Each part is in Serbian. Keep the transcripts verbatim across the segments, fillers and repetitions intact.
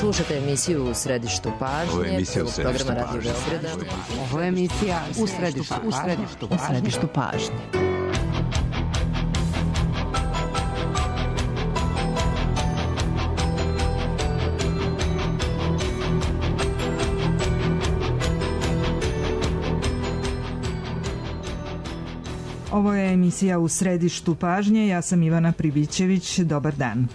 Slušate emisiju U središtu pažnje, prvog programa Radio Beograda. Ovo je emisija U središtu, u središtu, u središtu pažnje. Ovo je emisija U središtu pažnje, ja sam Ivana Pribićević, dobar dan.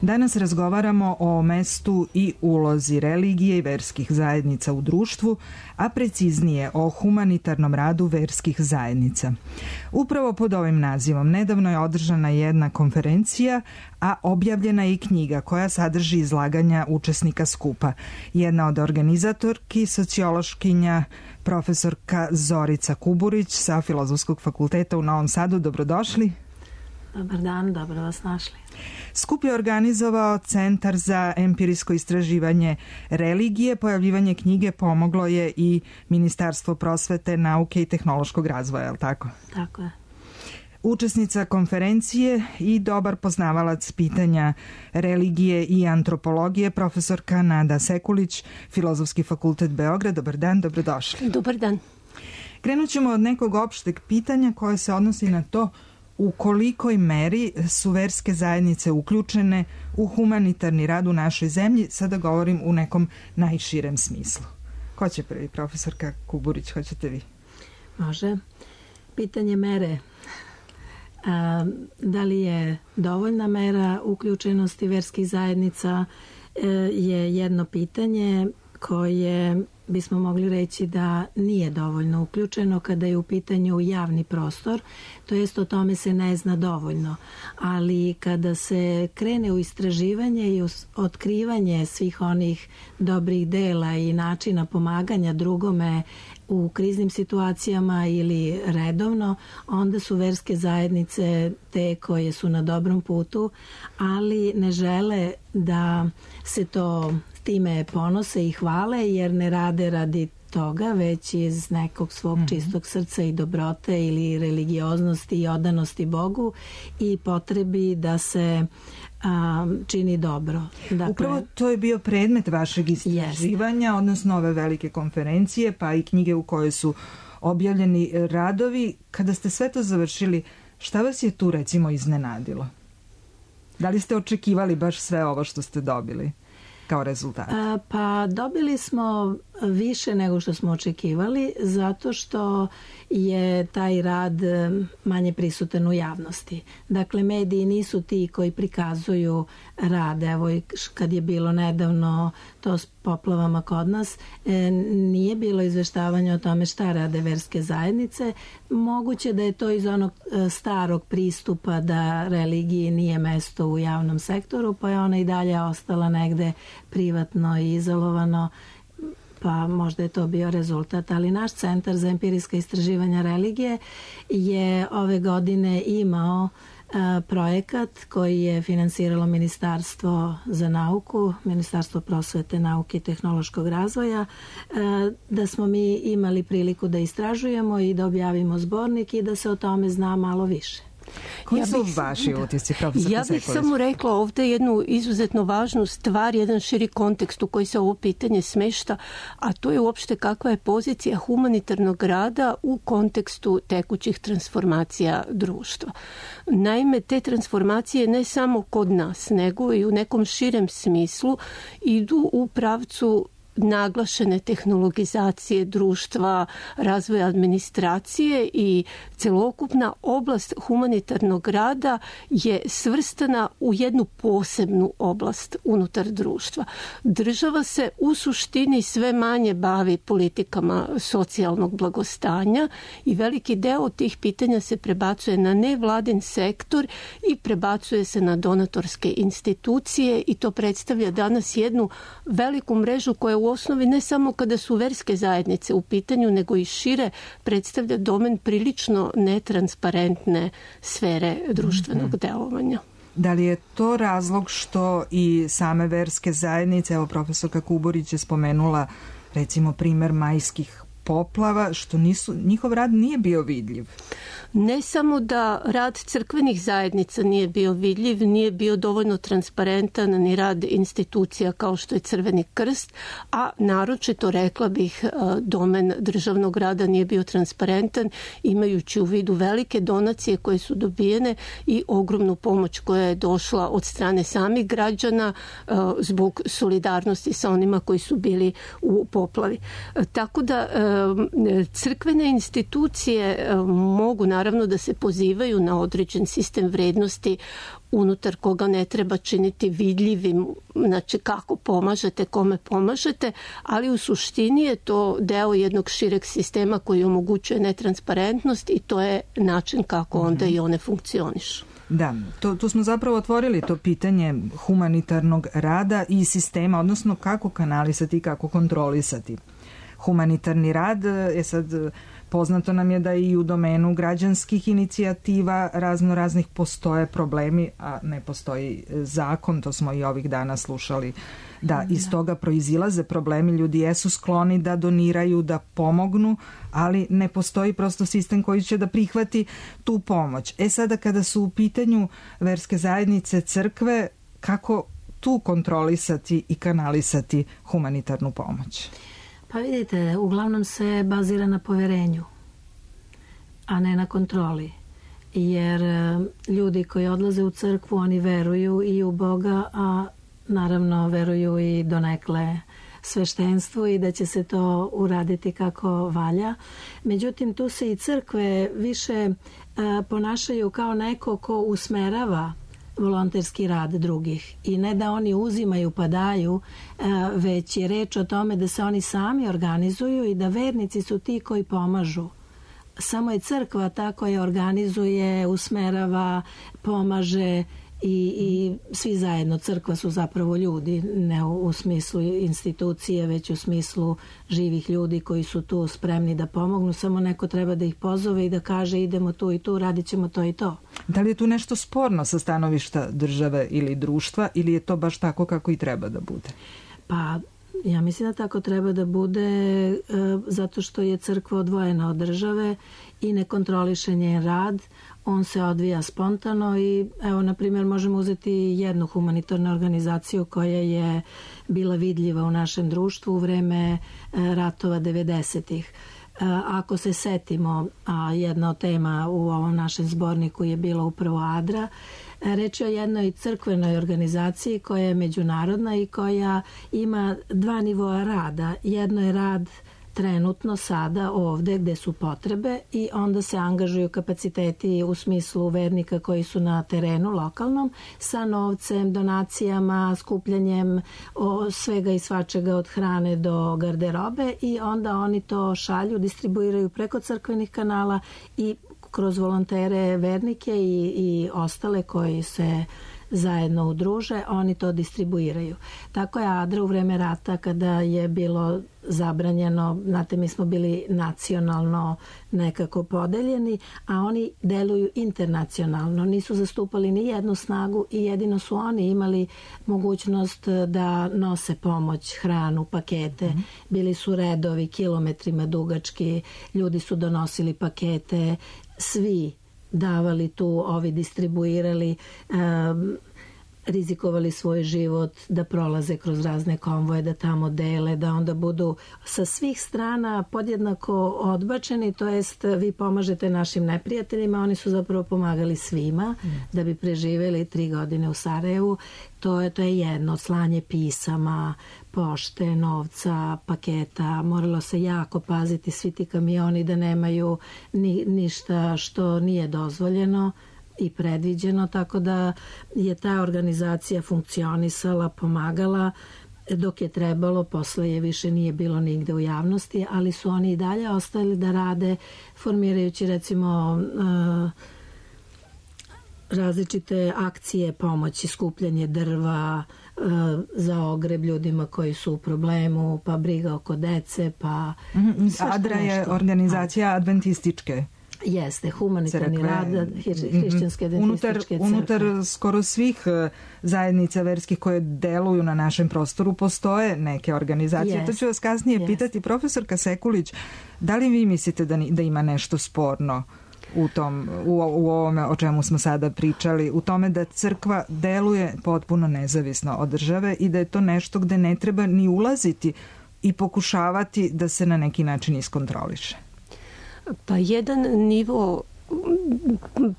Danas razgovaramo o mestu i ulozi religije i verskih zajednica u društvu, a preciznije o humanitarnom radu verskih zajednica. Upravo pod ovim nazivom nedavno je održana jedna konferencija, a objavljena je i knjiga koja sadrži izlaganja učesnika skupa. Jedna od organizatorki, sociološkinja, profesorka Zorica Kuburić sa Filozofskog fakulteta u Novom Sadu. Dobrodošli. Dobar dan, dobro vas našli. Skup je organizovao Centar za empirijsko istraživanje religije. Pojavljivanje knjige pomoglo je i Ministarstvo prosvete, nauke i tehnološkog razvoja, je li tako? Tako je. Učesnica konferencije i dobar poznavalac pitanja religije i antropologije, profesorka Nada Sekulić, Filozofski fakultet Beograd. Dobar dan, dobrodošli. Dobar dan. Krenut ćemo od nekog opšteg pitanja koje se odnosi na to u kolikoj meri su verske zajednice uključene u humanitarni rad u našoj zemlji. Sada govorim u nekom najširem smislu. Ko će prvi, profesorka Kuburić, hoćete vi? Može. Pitanje mere. A, da li je dovoljna mera uključenosti verskih zajednica e, je jedno pitanje koje bismo mogli reći da nije dovoljno uključeno kada je u pitanju javni prostor, to jest o tome se ne zna dovoljno, ali kada se krene u istraživanje i otkrivanje svih onih dobrih dela i načina pomaganja drugome u kriznim situacijama ili redovno, onda su verske zajednice te koje su na dobrom putu, ali ne žele da se to time ponose i hvale, jer ne rade radi toga, već iz nekog svog mm-hmm. čistog srca i dobrote ili religioznosti i odanosti Bogu i potrebi da se a, čini dobro. Dakle, upravo to je bio predmet vašeg istraživanja, jest. Odnosno ove velike konferencije, pa i knjige u kojoj su objavljeni radovi. Kada ste sve to završili, šta vas je tu recimo iznenadilo? Da li ste očekivali baš sve ovo što ste dobili kao rezultat? A, pa dobili smo više nego što smo očekivali, zato što je taj rad manje prisutan u javnosti. Dakle, mediji nisu ti koji prikazuju rad. Evo, kad je bilo nedavno to s poplavama kod nas, e, nije bilo izveštavanja o tome šta rade verske zajednice. Moguće da je to iz onog starog pristupa da religiji nije mesto u javnom sektoru, pa je ona i dalje ostala negde privatno i izolovano, pa možda je to bio rezultat, ali naš Centar za empirijska istraživanja religije je ove godine imao a, projekat koji je finansiralo Ministarstvo za nauku, Ministarstvo prosvete, nauke i tehnološkog razvoja, a, da smo mi imali priliku da istražujemo i da objavimo zbornik i da se o tome zna malo više. Koji ja su vaši utisci, profesor Ja bih samo rekla ovdje jednu izuzetno važnu stvar, jedan širi kontekst u koji se ovo pitanje smešta, a to je uopšte kakva je pozicija humanitarnog rada u kontekstu tekućih transformacija društva. Naime, te transformacije ne samo kod nas, nego i u nekom širem smislu idu u pravcu naglašene tehnologizacije društva, razvoja administracije i celokupna oblast humanitarnog rada je svrstana u jednu posebnu oblast unutar društva. Država se u suštini sve manje bavi politikama socijalnog blagostanja i veliki deo tih pitanja se prebacuje na nevladin sektor i prebacuje se na donatorske institucije i to predstavlja danas jednu veliku mrežu koja u osnovi ne samo kada su verske zajednice u pitanju, nego i šire predstavlja domen prilično netransparentne sfere društvenog mm-hmm. delovanja. Da li je to razlog što i same verske zajednice, evo profesorka Kuburić je spomenula recimo primer majskih poplava, što nisu, njihov rad nije bio vidljiv. Ne samo da rad crkvenih zajednica nije bio vidljiv, nije bio dovoljno transparentan ni rad institucija kao što je Crveni krst, a naročito, rekla bih, domen državnog rada nije bio transparentan, imajući u vidu velike donacije koje su dobijene i ogromnu pomoć koja je došla od strane samih građana zbog solidarnosti sa onima koji su bili u poplavi. Tako da crkvene institucije mogu naravno da se pozivaju na određen sistem vrednosti unutar koga ne treba činiti vidljivim, znači kako pomažete, kome pomažete, ali u suštini je to deo jednog šireg sistema koji omogućuje netransparentnost i to je način kako onda i one funkcionišu. Da, to, tu smo zapravo otvorili to pitanje humanitarnog rada i sistema, odnosno kako kanalisati i kako kontrolisati humanitarni rad. Je sad poznato nam je da i u domenu građanskih inicijativa razno raznih postoje problemi, a ne postoji zakon, to smo i ovih dana slušali, da iz toga proizilaze problemi, ljudi jesu skloni da doniraju, da pomognu, ali ne postoji prosto sistem koji će da prihvati tu pomoć. E sada kada su u pitanju verske zajednice, crkve, kako tu kontrolisati i kanalisati humanitarnu pomoć? Pa vidite, uglavnom se bazira na poverenju, a ne na kontroli. Jer ljudi koji odlaze u crkvu, oni veruju i u Boga, a naravno veruju i donekle sveštenstvu i da će se to uraditi kako valja. Međutim, tu se i crkve više ponašaju kao neko ko usmerava volonterski rad drugih i ne da oni uzimaju pa daju, već je reč o tome da se oni sami organizuju i da vernici su ti koji pomažu. Samo je crkva ta koja organizuje, usmerava, pomaže i, i svi zajedno. Crkva su zapravo ljudi, ne u, u smislu institucije, već u smislu živih ljudi koji su tu spremni da pomognu. Samo neko treba da ih pozove i da kaže idemo tu i tu, radit ćemo to i to. Da li je tu nešto sporno sa stanovišta države ili društva ili je to baš tako kako i treba da bude? Pa ja mislim da tako treba da bude e, zato što je crkva odvojena od države i ne kontroliše njen rad. On se odvija spontano i evo, na primjer, možemo uzeti jednu humanitarnu organizaciju koja je bila vidljiva u našem društvu u vreme ratova devedesetih. Ako se setimo, a jedna od tema u ovom našem zborniku je bila upravo Adra, reč je o jednoj crkvenoj organizaciji koja je međunarodna i koja ima dva nivoa rada. Jedno je rad trenutno sada ovde gde su potrebe i onda se angažuju kapaciteti u smislu vernika koji su na terenu lokalnom sa novcem, donacijama, skupljanjem o, svega i svačega od hrane do garderobe i onda oni to šalju, distribuiraju preko crkvenih kanala i kroz volontere, vernike i, i ostale koji se zajedno udruže, oni to distribuiraju. Tako je Adra u vreme rata kada je bilo zabranjeno, znate, mi smo bili nacionalno nekako podeljeni, a oni deluju internacionalno. Nisu zastupali ni jednu snagu i jedino su oni imali mogućnost da nose pomoć, hranu, pakete. Mm. Bili su redovi kilometrima dugački, ljudi su donosili pakete, svi davali tu, ovi distribuirali, um, rizikovali svoj život da prolaze kroz razne konvoje, da tamo dele, da onda budu sa svih strana podjednako odbačeni, to jest vi pomažete našim neprijateljima, oni su zapravo pomagali svima mm. da bi preživeli tri godine u Sarajevu. To je, to je jedno, slanje pisama, pošte, novca, paketa, moralo se jako paziti svi ti kamioni da nemaju ni, ništa što nije dozvoljeno i predviđeno, tako da je ta organizacija funkcionisala, pomagala dok je trebalo, posle je više nije bilo nigde u javnosti, ali su oni i dalje ostali da rade, formirajući recimo uh, različite akcije pomoći, skupljanje drva uh, za ogreb ljudima koji su u problemu, pa briga oko dece, pa... Mm-hmm. Adra je organizacija adventističke Jeste, humanitarni rad hrišćanske adventističke crkve. Unutar skoro svih zajednica verskih koje deluju na našem prostoru postoje neke organizacije. Yes. To ću vas kasnije yes. pitati. Profesorka Sekulić, da li vi mislite da, da ima nešto sporno u, tom, u, u ovome o čemu smo sada pričali, u tome da crkva deluje potpuno nezavisno od države i da je to nešto gde ne treba ni ulaziti i pokušavati da se na neki način iskontroliše? Pa jedan nivo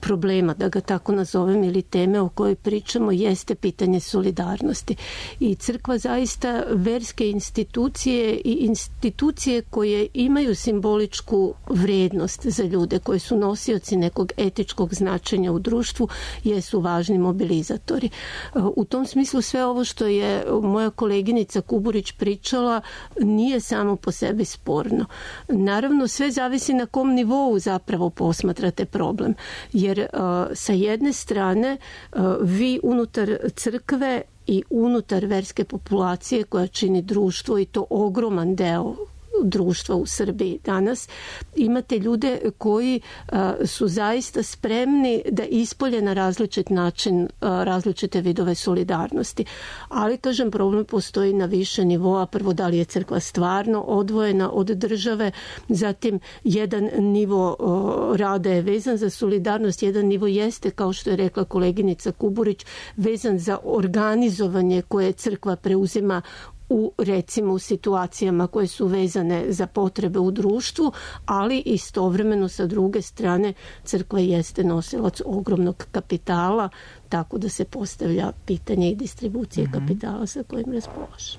problema, da ga tako nazovem, ili teme o kojoj pričamo jeste pitanje solidarnosti. I crkva zaista verske institucije i institucije koje imaju simboličku vrednost za ljude, koji su nosioci nekog etičkog značenja u društvu, jesu važni mobilizatori. U tom smislu sve ovo što je moja koleginica Kuburić pričala nije samo po sebi sporno. Naravno, sve zavisi na kom nivou zapravo posmatrate problem. Jer uh, sa jedne strane uh, vi unutar crkve i unutar verske populacije koja čini društvo, i to ogroman deo društva u Srbiji danas, imate ljude koji uh, su zaista spremni da ispolje na različit način uh, različite vidove solidarnosti. Ali, kažem, problem postoji na više nivoa. Prvo, da li je crkva stvarno odvojena od države, zatim jedan nivo uh, rada je vezan za solidarnost, jedan nivo jeste, kao što je rekla koleginica Kuburić, vezan za organizovanje koje crkva preuzima u, recimo, u situacijama koje su vezane za potrebe u društvu, ali istovremeno sa druge strane crkva jeste nosilac ogromnog kapitala, tako da se postavlja pitanje i distribucije mm-hmm. kapitala sa kojim raspolaže.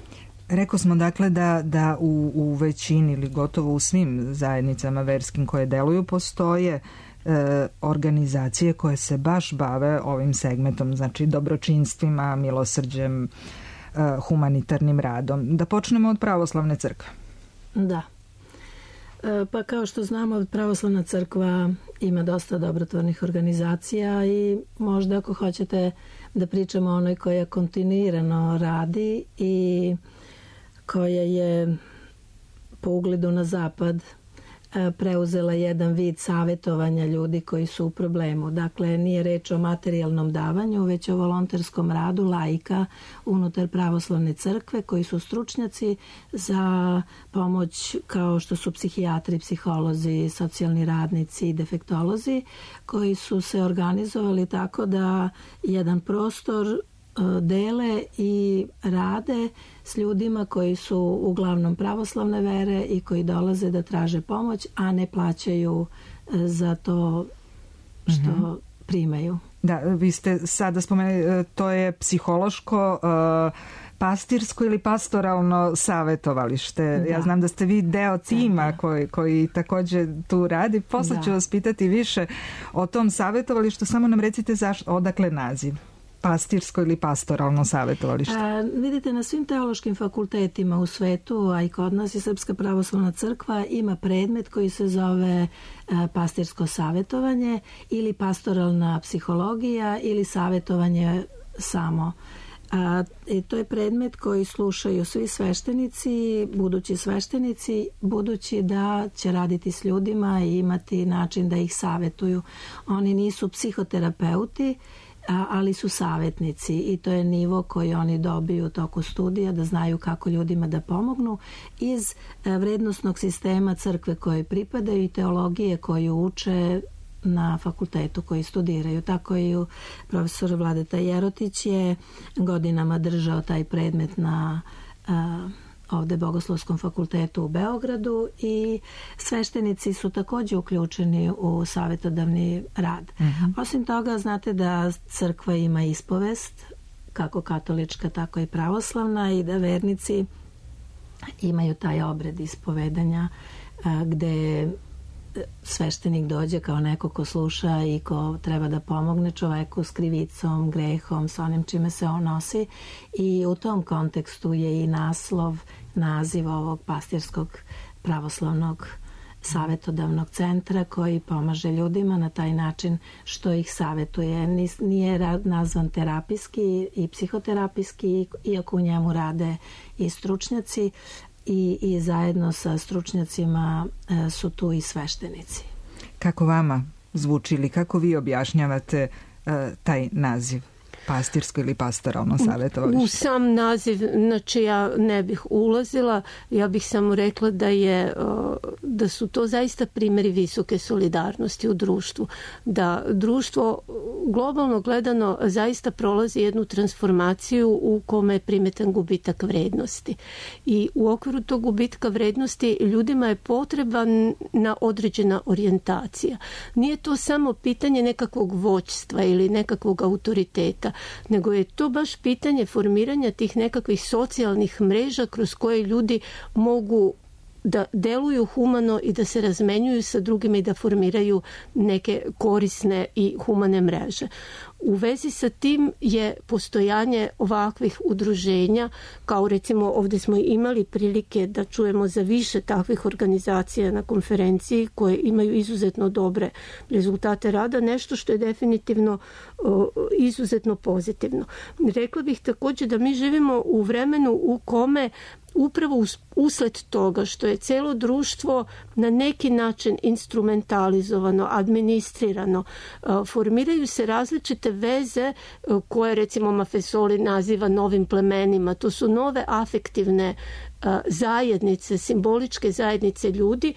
Rekao smo dakle da, da u, u većini ili gotovo u svim zajednicama verskim koje deluju postoje e, organizacije koje se baš bave ovim segmentom, znači dobročinstvima, milosrđem, humanitarnim radom. Da počnemo od pravoslavne crkve. Da. E, pa kao što znamo, pravoslavna crkva ima dosta dobrotvornih organizacija i možda ako hoćete da pričamo o onoj koja kontinuirano radi i koja je po ugledu na zapad preuzela jedan vid savjetovanja ljudi koji su u problemu. Dakle, nije reč o materijalnom davanju, već o volonterskom radu laika unutar pravoslavne crkve koji su stručnjaci za pomoć kao što su psihijatri, psiholozi, socijalni radnici i defektolozi koji su se organizovali tako da jedan prostor dele i rade s ljudima koji su uglavnom pravoslavne vere i koji dolaze da traže pomoć, a ne plaćaju za to što mm-hmm. primaju. Da, vi ste sada spomenuli, to je psihološko, pastirsko ili pastoralno savjetovalište. Da. Ja znam da ste vi deo tima da. koji, koji također tu radi. Posle da. ću vas pitati više o tom savjetovalištu. Samo nam recite zašto, odakle naziv? Pastirsko ili pastoralno savjetovalište? A, vidite, na svim teološkim fakultetima u svetu, a i kod nas i Srpska pravoslavna crkva ima predmet koji se zove a, pastirsko savjetovanje ili pastoralna psihologija ili savjetovanje samo. A, i to je predmet koji slušaju svi sveštenici, budući sveštenici, budući da će raditi s ljudima i imati način da ih savjetuju. Oni nisu psihoterapeuti, ali su savjetnici i to je nivo koji oni dobiju u toku studija, da znaju kako ljudima da pomognu iz vrednosnog sistema crkve koje pripadaju i teologije koju uče na fakultetu koji studiraju. Tako i profesor Vladeta Jerotić je godinama držao taj predmet na ovde Bogoslovskom fakultetu u Beogradu i sveštenici su također uključeni u savjetodavni rad. Mm-hmm. Osim toga, znate da crkva ima ispovest, kako katolička, tako i pravoslavna, i da vernici imaju taj obred ispovedanja gde sveštenik dođe kao neko ko sluša i ko treba da pomogne čoveku s krivicom, grehom, s onim čime se on nosi, i u tom kontekstu je i naslov, naziv ovog pastirskog pravoslavnog savjetodavnog centra koji pomaže ljudima na taj način što ih savjetuje. Nije nazvan terapijski i psihoterapijski, iako u njemu rade i stručnjaci, I, i zajedno sa stručnjacima e, su tu i sveštenici. Kako vama zvuči ili kako vi objašnjavate uh, taj naziv? Pastirsko ili pastoralno savjetovalište? U sam naziv, znači ja ne bih ulazila, ja bih samo rekla da je da su to zaista primjeri visoke solidarnosti u društvu, da društvo globalno gledano zaista prolazi jednu transformaciju u kome je primetan gubitak vrednosti i u okviru tog gubitka vrednosti ljudima je potreban na određena orijentacija. Nije to samo pitanje nekakvog vođstva ili nekakvog autoriteta, nego je to baš pitanje formiranja tih nekakvih socijalnih mreža kroz koje ljudi mogu da deluju humano i da se razmenjuju sa drugima i da formiraju neke korisne i humane mreže. U vezi sa tim je postojanje ovakvih udruženja, kao recimo ovdje smo imali prilike da čujemo za više takvih organizacija na konferenciji koje imaju izuzetno dobre rezultate rada, nešto što je definitivno uh, izuzetno pozitivno. Rekla bih također da mi živimo u vremenu u kome upravo usled toga što je cijelo društvo na neki način instrumentalizovano, administrirano, formiraju se različite veze koje recimo Maffesoli naziva novim plemenima. To su nove afektivne zajednice, simboličke zajednice ljudi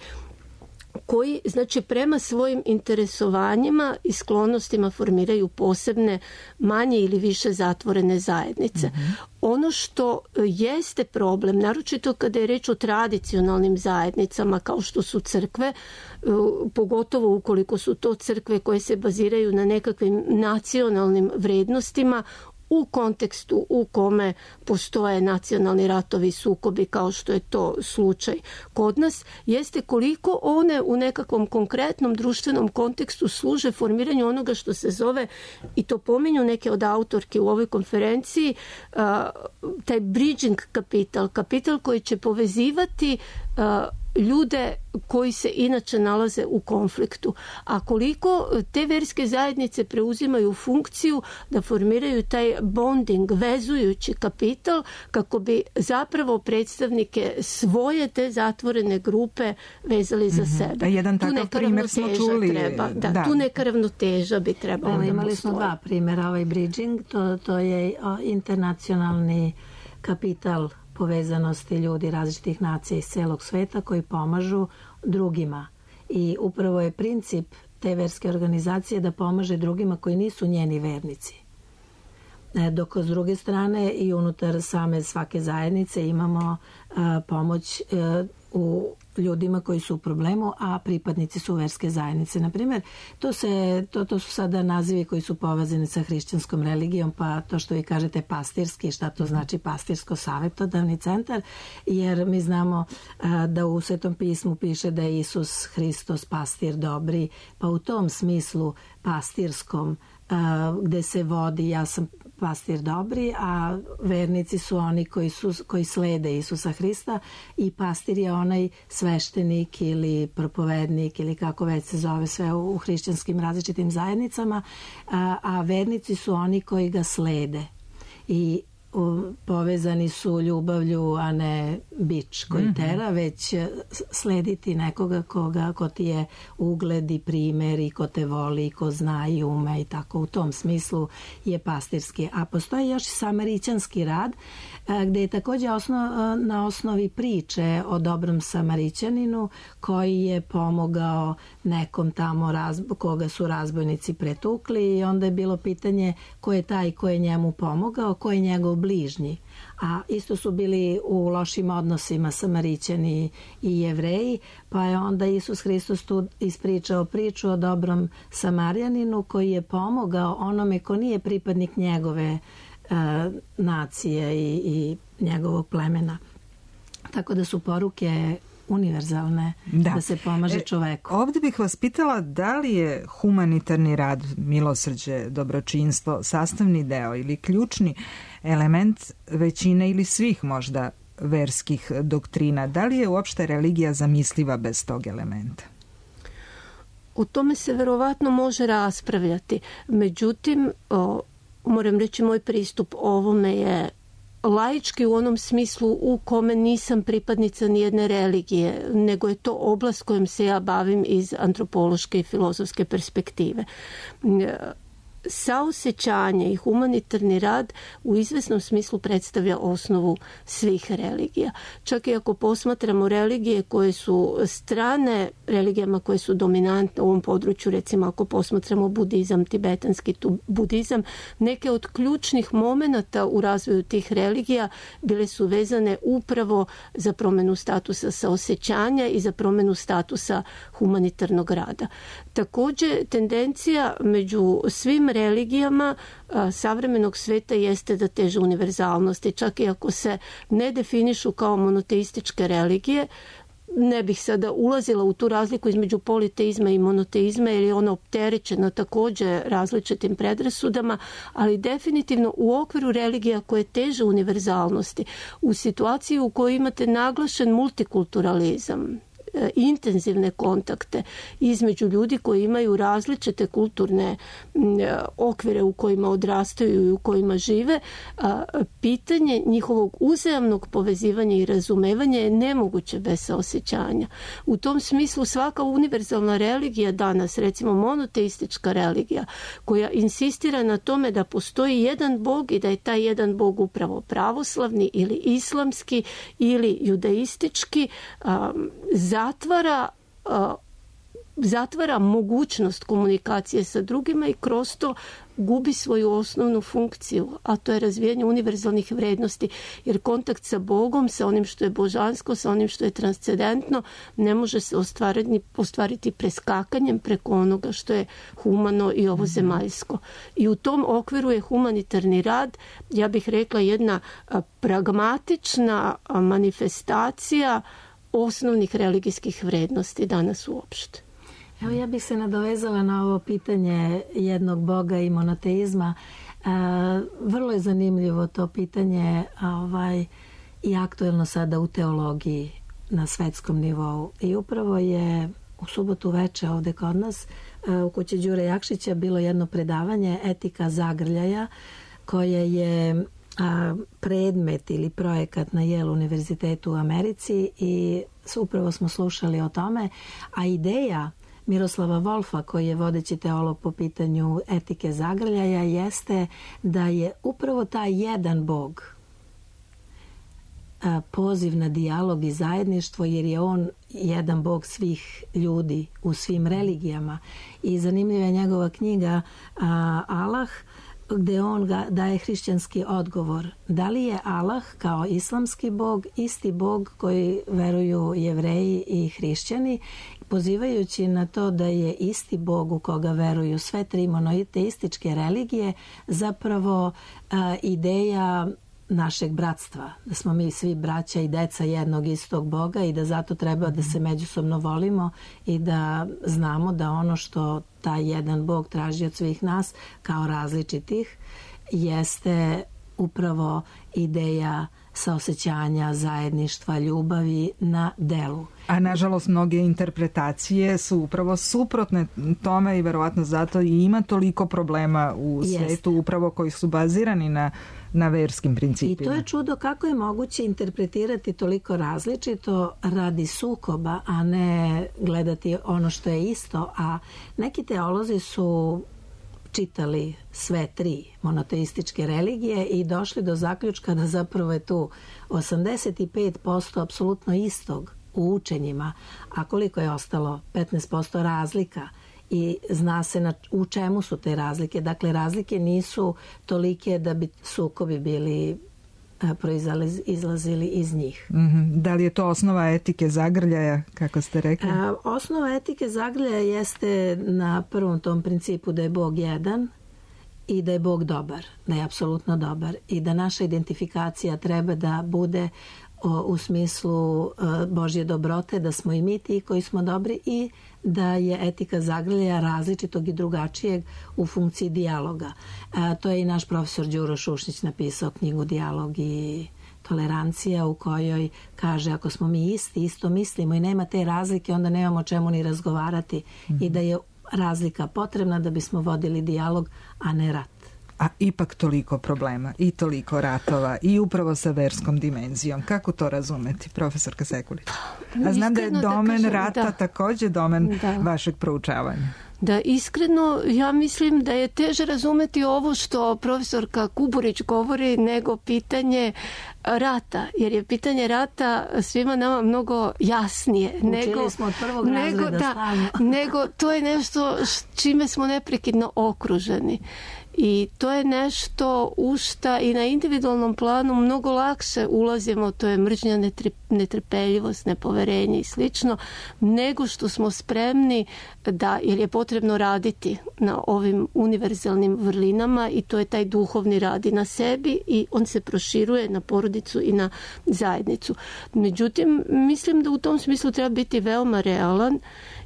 koji, znači, prema svojim interesovanjima i sklonostima formiraju posebne, manje ili više zatvorene zajednice. Mm-hmm. Ono što jeste problem, naročito kada je reč o tradicionalnim zajednicama kao što su crkve, pogotovo ukoliko su to crkve koje se baziraju na nekakvim nacionalnim vrednostima, u kontekstu u kome postoje nacionalni ratovi i sukobi kao što je to slučaj kod nas, jeste koliko one u nekakvom konkretnom društvenom kontekstu služe formiranju onoga što se zove, i to pominju neke od autorki u ovoj konferenciji, taj bridging kapital, kapital koji će povezivati ljude koji se inače nalaze u konfliktu. A koliko te verske zajednice preuzimaju funkciju da formiraju taj bonding, vezujući kapital, kako bi zapravo predstavnike svoje te zatvorene grupe vezali za sebe. Da, jedan takav primjer smo čuli. Treba, da, da. Tu neka ravnoteža bi trebalo da imali postoji. Smo dva primjera. Ovaj bridging, to, to je internacionalni kapital povezanosti ljudi različitih nacija iz celog sveta koji pomažu drugima. I upravo je princip te verske organizacije da pomaže drugima koji nisu njeni vernici. Dok s druge strane i unutar same svake zajednice imamo a, pomoć a, u ljudima koji su u problemu, a pripadnici su verske zajednice. Naprimjer, to, se, to, to su sada nazivi koji su povezani sa hrišćanskom religijom, pa to što vi kažete pastirski, šta to znači pastirsko-savjetodavni centar, jer mi znamo a, da u Svetom pismu piše da je Isus Hristos pastir dobri, pa u tom smislu pastirskom a, gde se vodi ja sam pastir dobri, a vernici su oni koji, su, koji slede Isusa Hrista i pastir je onaj sveštenik ili propovednik ili kako već se zove sve u, u hrišćanskim različitim zajednicama, a, a vernici su oni koji ga slede i u, povezani su ljubavlju, a ne bič koji mm-hmm. tera, već slediti nekoga koga, ko ti je ugled i primjer i ko te voli i ko zna i ume i tako. U tom smislu je pastirski. A postoji još i samarićanski rad gdje je također osnov, na osnovi priče o dobrom Samarićaninu koji je pomogao nekom tamo raz, koga su razbojnici pretukli i onda je bilo pitanje ko je taj ko je njemu pomogao, ko je njegov bližnji. A isto su bili u lošim odnosima Samarićani i Jevreji, pa je onda Isus Hristos tu ispričao priču o dobrom Samarjaninu koji je pomogao onome ko nije pripadnik njegove uh, nacije i, i njegovog plemena. Tako da su poruke univerzalne, da, da se pomaže čoveku. E, ovdje bih vas pitala da li je humanitarni rad, milosrđe, dobročinstvo sastavni deo ili ključni element većine ili svih možda verskih doktrina. Da li je uopšte religija zamisliva bez tog elementa? O tome se verovatno može raspravljati. Međutim, o, moram reći, moj pristup ovome je laički u onom smislu u kome nisam pripadnica nijedne religije, nego je to oblast kojom se ja bavim iz antropološke i filozofske perspektive. Saosećanje i humanitarni rad u izvesnom smislu predstavlja osnovu svih religija. Čak i ako posmatramo religije koje su strane religijama koje su dominantne u ovom području, recimo ako posmatramo budizam, tibetanski budizam, neke od ključnih momenata u razvoju tih religija bile su vezane upravo za promjenu statusa saosećanja i za promjenu statusa humanitarnog rada. Također, tendencija među svim religijama a, savremenog sveta jeste da teže univerzalnosti, čak i ako se ne definišu kao monoteističke religije. Ne bih sada ulazila u tu razliku između politeizma i monoteizma jer je ona opterećena također različitim predrasudama, ali definitivno u okviru religija koje teže univerzalnosti, u situaciji u kojoj imate naglašen multikulturalizam, intenzivne kontakte između ljudi koji imaju različite kulturne okvire u kojima odrastaju i u kojima žive, pitanje njihovog uzajamnog povezivanja i razumevanja je nemoguće bez saosećanja. U tom smislu svaka univerzalna religija danas, recimo monoteistička religija, koja insistira na tome da postoji jedan Bog i da je taj jedan Bog upravo pravoslavni ili islamski ili judaistički, zatvara zatvara mogućnost komunikacije sa drugima i kroz to gubi svoju osnovnu funkciju, a to je razvijanje univerzalnih vrednosti, jer kontakt sa Bogom, sa onim što je božansko, sa onim što je transcendentno, ne može se ostvariti, ostvariti preskakanjem preko onoga što je humano i ovozemaljsko. I u tom okviru je humanitarni rad, ja bih rekla, jedna pragmatična manifestacija osnovnih religijskih vrednosti danas uopšte. Evo, ja bih se nadovezala na ovo pitanje jednog Boga i monoteizma. E, vrlo je zanimljivo to pitanje ovaj, i aktuelno sada u teologiji na svetskom nivou. I upravo je u subotu veče ovdje kod nas u kući Đure Jakšića bilo jedno predavanje Etika zagrljaja, koje je predmet ili projekat na Yale univerzitetu u Americi i upravo smo slušali o tome, a ideja Miroslava Wolfa, koji je vodeći teolog po pitanju etike zagrljaja, jeste da je upravo taj jedan Bog poziv na dijalog i zajedništvo, jer je on jedan Bog svih ljudi u svim religijama. I zanimljiva je njegova knjiga Allah, gdje on ga daje hrišćanski odgovor. Da li je Allah kao islamski Bog isti Bog koji veruju Jevreji i hrišćani, pozivajući na to da je isti Bog u koga veruju sve tri monoteističke religije zapravo a, ideja našeg bratstva, da smo mi svi braća i deca jednog istog Boga i da zato treba da se međusobno volimo i da znamo da ono što taj jedan Bog traži od svih nas kao različitih jeste upravo ideja saosećanja, zajedništva, ljubavi na delu. A nažalost mnoge interpretacije su upravo suprotne tome i verovatno zato i ima toliko problema u Jeste. svetu upravo koji su bazirani na, na verskim principima. I to je čudo kako je moguće interpretirati toliko različito radi sukoba, a ne gledati ono što je isto. A neki teolozi su čitali sve tri monoteističke religije i došli do zaključka da zapravo je tu osamdeset pet posto apsolutno istog u učenjima, a koliko je ostalo petnaest posto razlika i zna se na, u čemu su te razlike. Dakle, razlike nisu tolike da bi sukobi bili proizlazili iz njih. Mm-hmm. Da li je to osnova etike zagrljaja, kako ste rekli? A, osnova etike zagrljaja jeste na prvom tom principu da je Bog jedan i da je Bog dobar, da je apsolutno dobar i da naša identifikacija treba da bude o, u smislu o, Božje dobrote, da smo i mi ti koji smo dobri i da je etika zagrljaja različitog i drugačijeg u funkciji dijaloga. A, to je i naš profesor Đuro Šušnić napisao knjigu Dijalog i tolerancija, u kojoj kaže ako smo mi isti, isto mislimo i nema te razlike, onda nemamo čemu ni razgovarati mm-hmm. i da je razlika potrebna da bismo vodili dijalog, a ne rat. a ipak toliko problema i toliko ratova i upravo sa verskom dimenzijom. Kako to razumeti, profesorka Sekulić? A znam da je domen da kažem, rata da. takođe domen da. vašeg proučavanja. Da, iskreno, ja mislim da je teže razumeti ovo što profesorka Kuburić govori nego pitanje rata, jer je pitanje rata svima nama mnogo jasnije. Učili nego, smo od prvog nego, razreda da, stalno. Nego to je nešto čime smo neprekidno okruženi. I to je nešto u šta i na individualnom planu mnogo lakše ulazimo, to je mržnja, netrpeljivost, nepoverenje i slično, nego što smo spremni da, jer je potrebno raditi na ovim univerzalnim vrlinama i to je taj duhovni rad i na sebi i on se proširuje na porodicu i na zajednicu. Međutim, mislim da u tom smislu treba biti veoma realan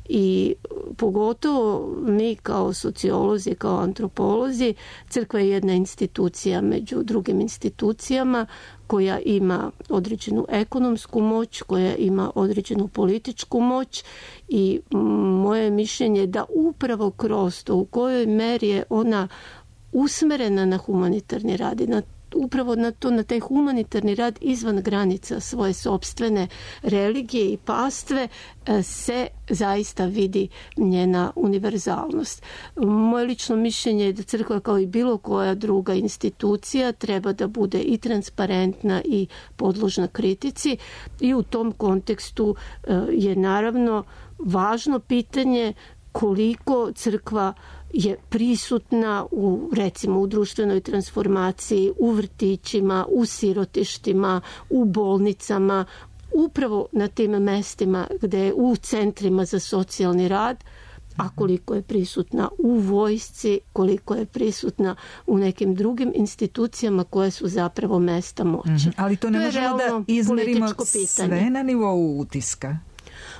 i pogotovo mi kao sociolozi, kao antropolozi, crkva je jedna institucija među drugim institucijama koja ima određenu ekonomsku moć, koja ima određenu političku moć i moje mišljenje je da upravo kroz to u kojoj meri je ona usmerena na humanitarni rad i na upravo na to, na taj humanitarni rad izvan granica svoje sopstvene religije i pastve se zaista vidi njena univerzalnost. Moje lično mišljenje je da crkva kao i bilo koja druga institucija treba da bude i transparentna i podložna kritici i u tom kontekstu je naravno važno pitanje koliko crkva je prisutna u, recimo, u društvenoj transformaciji, u vrtićima, u sirotištima, u bolnicama, upravo na tim mestima gde je u centrima za socijalni rad, a koliko je prisutna u vojsci, koliko je prisutna u nekim drugim institucijama koje su zapravo mesta moći. Mm-hmm. Ali to ne to možemo da izmerimo sve na nivou utiska.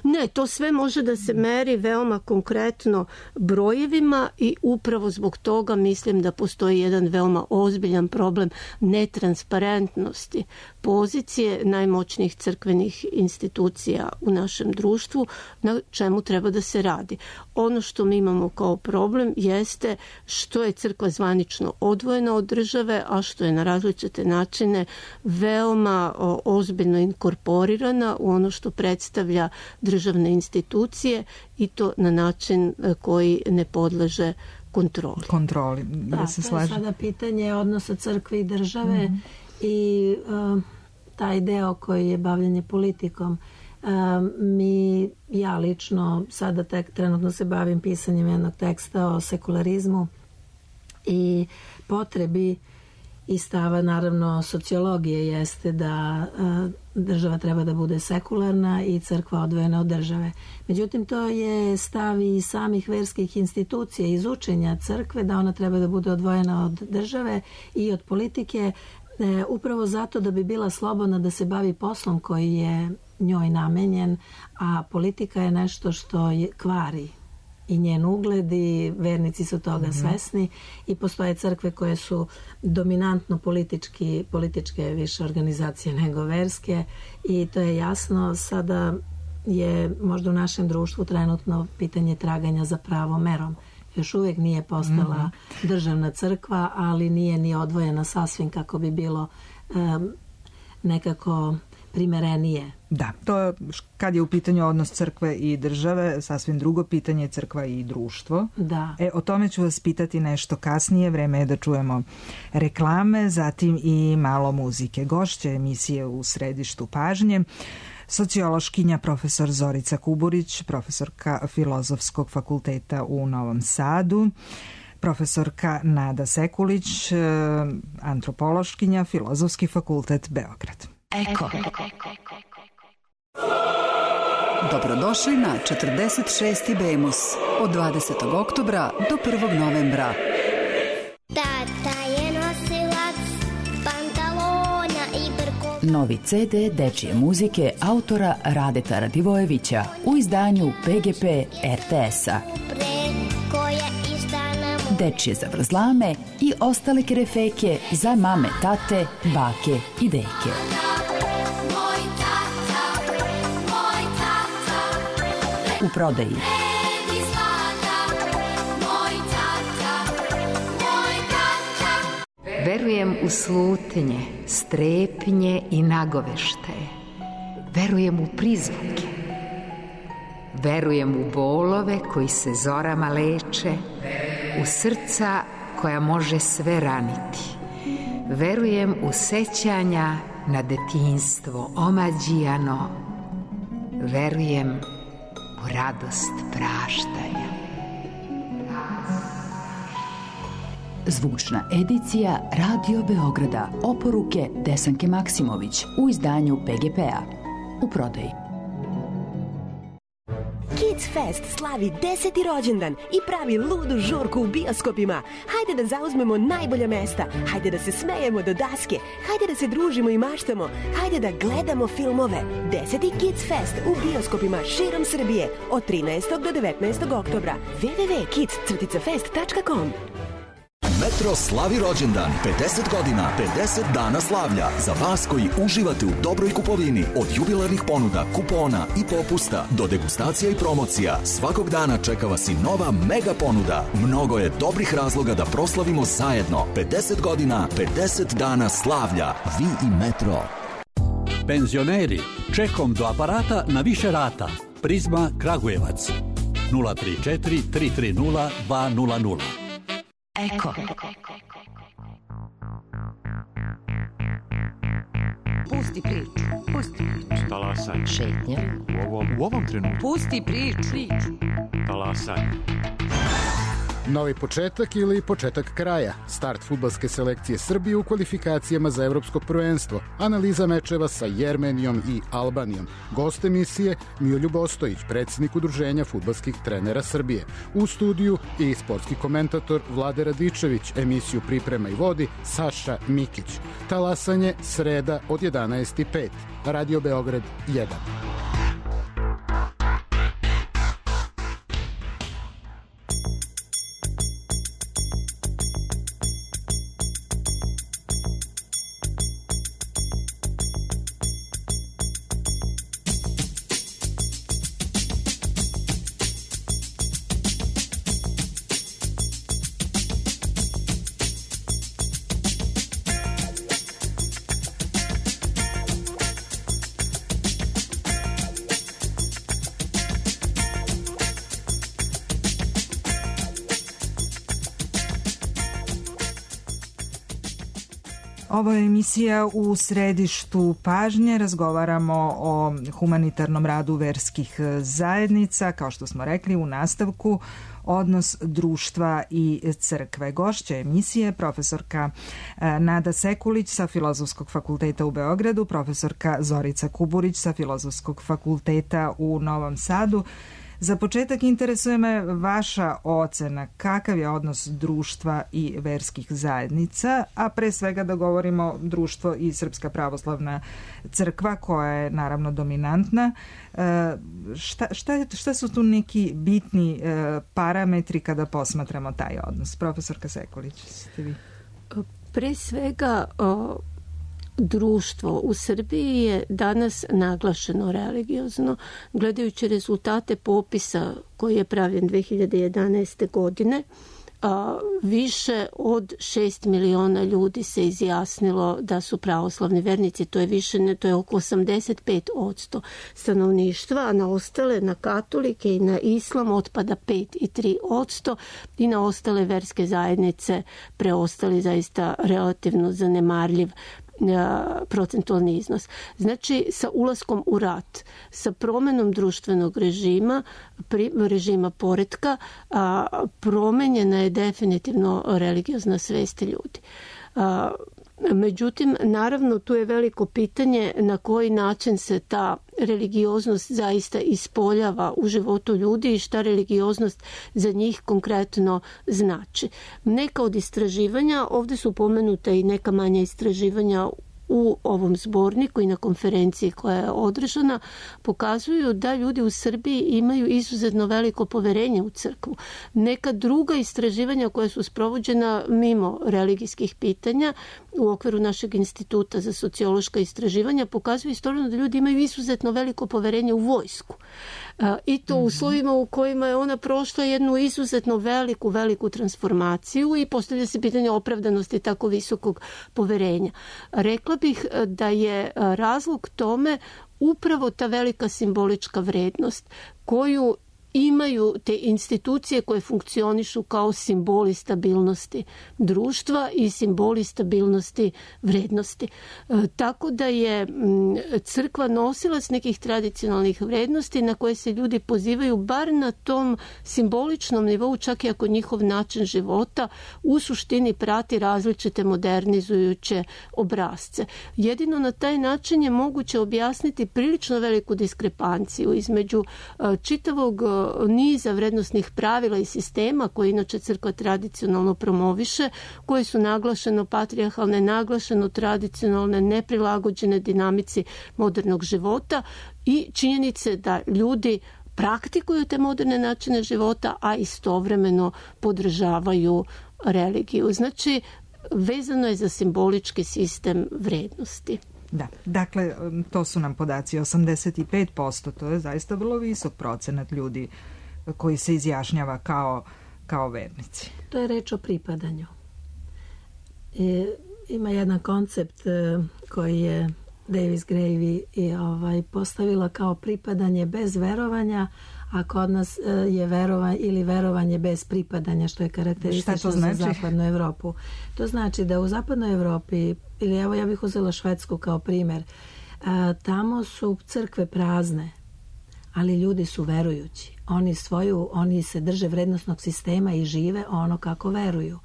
Ne, to sve može da se meri veoma konkretno brojevima i upravo zbog toga mislim da postoji jedan veoma ozbiljan problem netransparentnosti pozicije najmoćnijih crkvenih institucija u našem društvu, na čemu treba da se radi. Ono što mi imamo kao problem jeste što je crkva zvanično odvojena od države, a što je na različite načine veoma ozbiljno inkorporirana u ono što predstavlja državne institucije i to na način koji ne podleže kontroli. Kontroli, da, da se to slažem. Je sada pitanje odnosa crkve i države mm-hmm. i uh, taj deo koji je bavljanje politikom. Uh, mi, ja lično sada tek trenutno se bavim pisanjem jednog teksta o sekularizmu i potrebi i stava naravno sociologije jeste da uh, država treba da bude sekularna i crkva odvojena od države. Međutim, to je stav i samih verskih institucija iz učenja crkve da ona treba da bude odvojena od države i od politike e, upravo zato da bi bila slobodna da se bavi poslom koji je njoj namenjen, a politika je nešto što je kvari i njen ugled i vernici su toga mm-hmm. svesni i postoje crkve koje su dominantno politički, političke više organizacije nego verske i to je jasno. Sada je možda u našem društvu trenutno pitanje traganja za pravom merom. Još uvijek nije postala mm-hmm. državna crkva, ali nije ni odvojena sasvim kako bi bilo um, nekako primerenije. Da, to kad je u pitanju odnos crkve i države, sasvim drugo pitanje je crkva i društvo. Da. E, o tome ću vas pitati nešto kasnije, vreme je da čujemo reklame, zatim i malo muzike. Gošća emisije U središtu pažnje, sociološkinja profesor Zorica Kuburić, profesorka Filozofskog fakulteta u Novom Sadu, profesorka Nada Sekulić, antropološkinja, Filozofski fakultet Beograd. Eko. Dobrodošli na četrdeset šesti Bemus od dvadesetog oktobra do prvog novembra. Tata je nosilac pantalona i brkova. Novi ce de dečije muzike autora Radeta Radivojevića u izdanju pe ge pe er te es-a. Dečije zavrzlame i ostale kerefeke za mame, tate, bake i deke. U prodaji. Verujem u slutnje, strepnje i nagoveštaje. Verujem u prizvuke. Verujem u bolove koji se zorama leče, u srca koja može sve raniti. Verujem u sećanja na detinjstvo omađijano. Verujem u radost praštanja. Zvučna edicija Radio Beograda. Oporuke Desanke Maksimović u izdanju P G P-a. U prodaji. Kids Fest slavi deseti rođendan i pravi ludu žurku u bioskopima. Hajde da zauzmemo najbolja mesta, hajde da se smejemo do daske, hajde da se družimo i maštamo, hajde da gledamo filmove. Deseti Kids Fest u bioskopima širom Srbije od trinaestog do devetnaestog oktobra. w w w tačka kids fest tačka com. Metro slavi rođendan, pedeset godina, pedeset dana slavlja. Za vas koji uživate u dobroj kupovini, od jubilarnih ponuda, kupona i popusta do degustacija i promocija, svakog dana čeka vas i nova mega ponuda. Mnogo je dobrih razloga da proslavimo zajedno. pedeset godina, pedeset dana slavlja. Vi i Metro. Penzioneri, čekom do aparata na više rata. Prizma Kragujevac. nula tri četiri tri tri nula dva nula nula. Eko. Pusti priču, pusti priču. Talasaj. Šetnja. U ovom, u ovom trenutku. Pusti priču. Talasaj. Novi početak ili početak kraja. Start fudbalske selekcije Srbije u kvalifikacijama za evropsko prvenstvo. Analiza mečeva sa Jermenijom i Albanijom. Gost emisije Miroljub Ostojić, predsjednik Udruženja fudbalskih trenera Srbije. U studiju i sportski komentator Vlade Radičević. Emisiju priprema i vodi Saša Mikić. Talasanje sreda od jedanaest i pet. Radio Beograd jedan. Ovo je emisija U središtu pažnje. Razgovaramo o humanitarnom radu verskih zajednica. Kao što smo rekli u nastavku, odnos društva i crkve. Gošća emisije profesorka Nada Sekulić sa Filozofskog fakulteta u Beogradu, profesorka Zorica Kuburić sa Filozofskog fakulteta u Novom Sadu. Za početak interesuje me vaša ocena, kakav je odnos društva i verskih zajednica, a pre svega da govorimo društvo i Srpska pravoslavna crkva koja je naravno dominantna. Šta, šta, šta su tu neki bitni parametri kada posmatramo taj odnos? Profesorka Sekulić, ste vi? Pre svega društvo u Srbiji je danas naglašeno religiozno. Gledajući rezultate popisa koji je pravljen dve hiljade jedanaeste. godine, a, više od šest miliona ljudi se izjasnilo da su pravoslavni vernici. To je više, ne, to je oko osamdeset pet posto stanovništva, a na ostale, na katolike i na islam otpada pet i tri posto i na ostale verske zajednice preostali zaista relativno zanemarljiv procentualni iznos. Znači, sa ulaskom u rat, sa promenom društvenog režima, režima poretka, promenjena je definitivno religiozna svest ljudi. Međutim, naravno, tu je veliko pitanje na koji način se ta religioznost zaista ispoljava u životu ljudi i šta religioznost za njih konkretno znači. Neka od istraživanja, ovdje su pomenute i neka manja istraživanja u ovom zborniku i na konferenciji koja je održana, pokazuju da ljudi u Srbiji imaju izuzetno veliko poverenje u crkvu. Neka druga istraživanja koja su sprovođena mimo religijskih pitanja u okviru našeg instituta za sociološka istraživanja pokazuju istovremeno da ljudi imaju izuzetno veliko poverenje u vojsku. I to u uslovima u kojima je ona prošla jednu izuzetno veliku, veliku transformaciju i postavlja se pitanje opravdanosti tako visokog poverenja. Rekla bih da je razlog tome upravo ta velika simbolička vrednost koju imaju te institucije koje funkcionišu kao simboli stabilnosti društva i simboli stabilnosti vrednosti. E, tako da je m, crkva nosilac nekih tradicionalnih vrednosti na koje se ljudi pozivaju bar na tom simboličnom nivou, čak i ako njihov način života u suštini prati različite modernizujuće obrazce. Jedino na taj način je moguće objasniti prilično veliku diskrepanciju između e, čitavog niza vrednostnih pravila i sistema koje inače crkva tradicionalno promoviše, koje su naglašeno patrijarhalne, naglašeno tradicionalne, neprilagođene dinamici modernog života i činjenice da ljudi praktikuju te moderne načine života, a istovremeno podržavaju religiju. Znači, vezano je za simbolički sistem vrednosti. Da, dakle, to su nam podaci osamdeset pet posto, to je zaista vrlo visok procenat ljudi koji se izjašnjava kao, kao vernici. To je reč o pripadanju. I, ima jedan koncept koji je Davis Gravey i ovaj, postavila kao pripadanje bez verovanja, a kod nas je verovanje ili verovanje bez pripadanja, što je karakteristično znači? za zapadnu Evropu. To znači da u zapadnoj Evropi, ili evo ja bih uzela Švedsku kao primjer, tamo su crkve prazne, ali ljudi su verujući. Oni svoju, oni se drže vrednostnog sistema i žive ono kako veruju.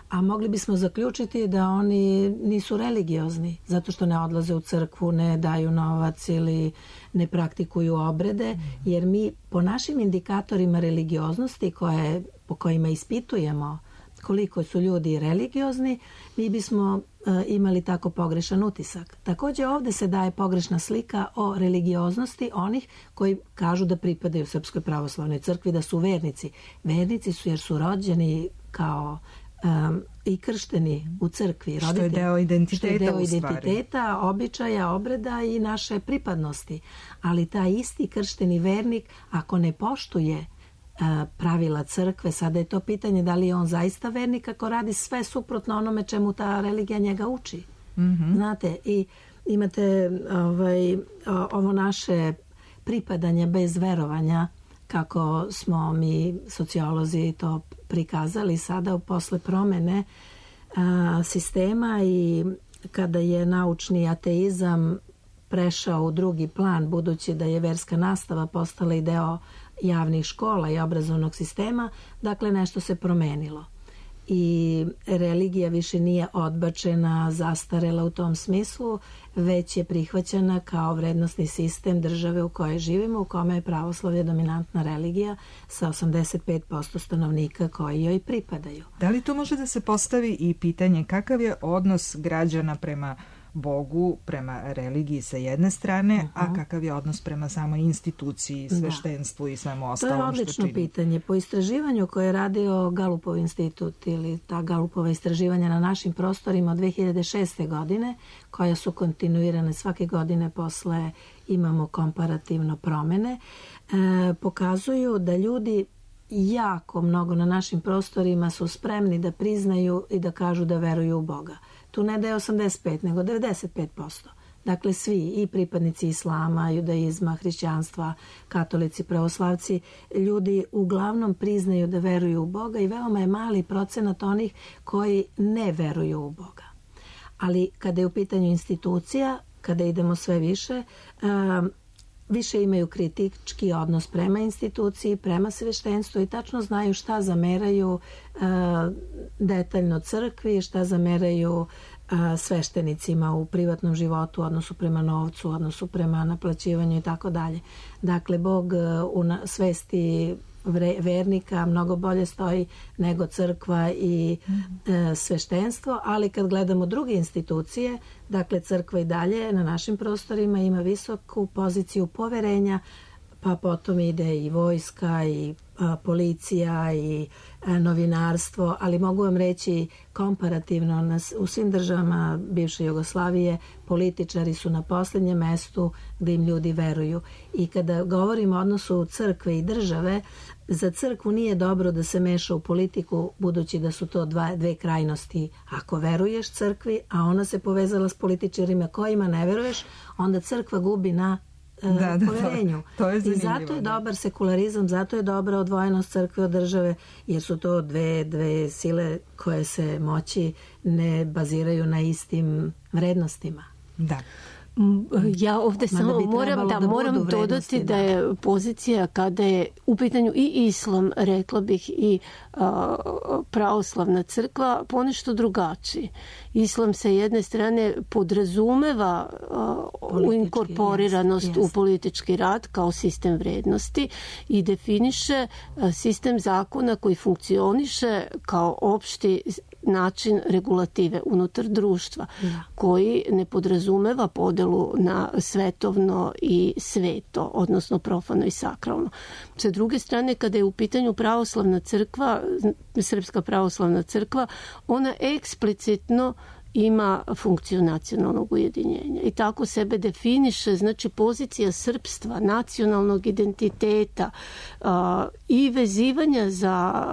A mogli bismo zaključiti da oni nisu religiozni, zato što ne odlaze u crkvu, ne daju novac ili ne praktikuju obrede, jer mi po našim indikatorima religioznosti koje, po kojima ispitujemo koliko su ljudi religiozni, mi bismo e, imali tako pogrešan utisak. Također ovdje se daje pogrešna slika o religioznosti onih koji kažu da pripadaju Srpskoj pravoslavnoj crkvi, da su vernici. Vernici su jer su rođeni kao Um, i kršteni u crkvi. Što je deo identiteta, što je deo identiteta, običaja, obreda i naše pripadnosti. Ali taj isti kršteni vernik, ako ne poštuje uh, pravila crkve, sada je to pitanje da li je on zaista vernik ako radi sve suprotno onome čemu ta religija njega uči. Mm-hmm. Znate, i imate ovaj, ovo naše pripadanje bez verovanja, kako smo mi sociolozi to prikazali sada posle promene a, sistema i kada je naučni ateizam prešao u drugi plan, budući da je verska nastava postala i deo javnih škola i obrazovnog sistema, dakle nešto se promenilo. I religija više nije odbačena, zastarela u tom smislu, već je prihvaćena kao vrednostni sistem države u kojoj živimo, u kome je pravoslavlje dominantna religija sa osamdeset pet posto stanovnika koji joj pripadaju. Da li to može da se postavi i pitanje kakav je odnos građana prema Bogu, prema religiji sa jedne strane, uh-huh. a kakav je odnos prema samoj instituciji, sveštenstvu da. i svemu ostalom što čini? To je odlično pitanje. Po istraživanju koje je radio Galupov institut ili ta Galupova istraživanja na našim prostorima od dve hiljade šeste. godine, koja su kontinuirane svake godine posle imamo komparativno promene, e, pokazuju da ljudi jako mnogo na našim prostorima su spremni da priznaju i da kažu da veruju u Boga. Tu ne da je osamdeset pet, nego devedeset pet posto. Dakle, svi, i pripadnici islama, judaizma, hrišćanstva, katolici, pravoslavci, ljudi uglavnom priznaju da veruju u Boga i veoma je mali procenat onih koji ne veruju u Boga. Ali kada je u pitanju institucija, kada idemo sve više, um, više imaju kritički odnos prema instituciji, prema sveštenstvu i tačno znaju šta zameraju uh, detaljno crkvi, šta zameraju uh, sveštenicima u privatnom životu, odnosu prema novcu, odnosu prema naplaćivanju i tako dalje. Dakle, Bog uh, u na, svesti vernika mnogo bolje stoji nego crkva i e, sveštenstvo, ali kad gledamo druge institucije, dakle crkva i dalje na našim prostorima ima visoku poziciju poverenja pa potom ide i vojska i a, policija i a, novinarstvo, ali mogu vam reći komparativno nas, u svim državama bivše Jugoslavije političari su na posljednjem mestu gdje im ljudi veruju. I kada govorimo o odnosu crkve i države, za crkvu nije dobro da se meša u politiku, budući da su to dva, dve krajnosti. Ako veruješ crkvi, a ona se povezala s političarima kojima ne veruješ, onda crkva gubi na e, da, da, poverenju. To, to je I zato je dobar sekularizam, zato je dobra odvojenost crkve od države, jer su to dve, dve sile koje se moći ne baziraju na istim vrednostima. Da. Ja ovdje Mada samo moram, da, da moram dodati da je pozicija kada je u pitanju i islam, rekla bih, i a, pravoslavna crkva ponešto drugačiji. Islam se jedne strane podrazumeva a, u inkorporiranost jest, jest. u politički rad kao sistem vrednosti i definiše a, sistem zakona koji funkcioniše kao opšti način regulative unutar društva, da. koji ne podrazumeva podelu na svetovno i sveto, odnosno profano i sakralno. Sa druge strane, kada je u pitanju pravoslavna crkva, Srpska pravoslavna crkva, ona eksplicitno ima funkciju nacionalnog ujedinjenja i tako sebe definiše, znači pozicija srpstva, nacionalnog identiteta a, i vezivanja za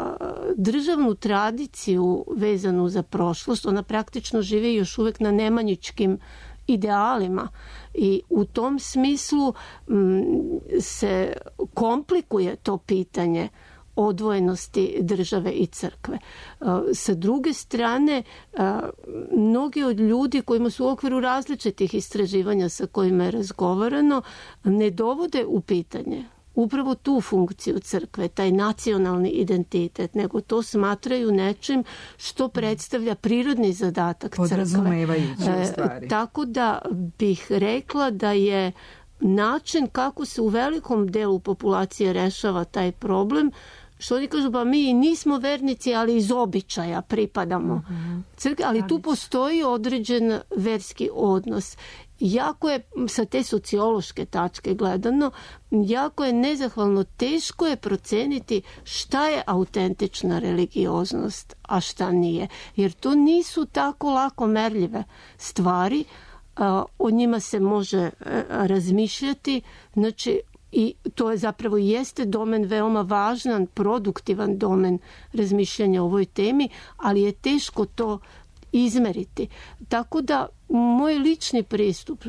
državnu tradiciju vezanu za prošlost. Ona praktično živi još uvijek na nemanjičkim idealima i u tom smislu m, se komplikuje to pitanje odvojenosti države i crkve. Sa druge strane, mnogi od ljudi kojima su u okviru različitih istraživanja sa kojima je razgovarano ne dovode u pitanje upravo tu funkciju crkve, taj nacionalni identitet, nego to smatraju nečim što predstavlja prirodni zadatak crkve. Podrazumevajući u stvari. E, tako da bih rekla da je način kako se u velikom delu populacije rešava taj problem, što oni kažu, pa mi nismo vernici, ali iz običaja pripadamo uh-huh. crkvi, ali tu postoji određen verski odnos. Jako je, sa te sociološke tačke gledano, jako je nezahvalno, teško je proceniti šta je autentična religioznost, a šta nije. Jer to nisu tako lako merljive stvari, o njima se može razmišljati, znači i to je zapravo jeste domen veoma važan, produktivan domen razmišljanja o ovoj temi, ali je teško to izmeriti. Tako da moj lični pristup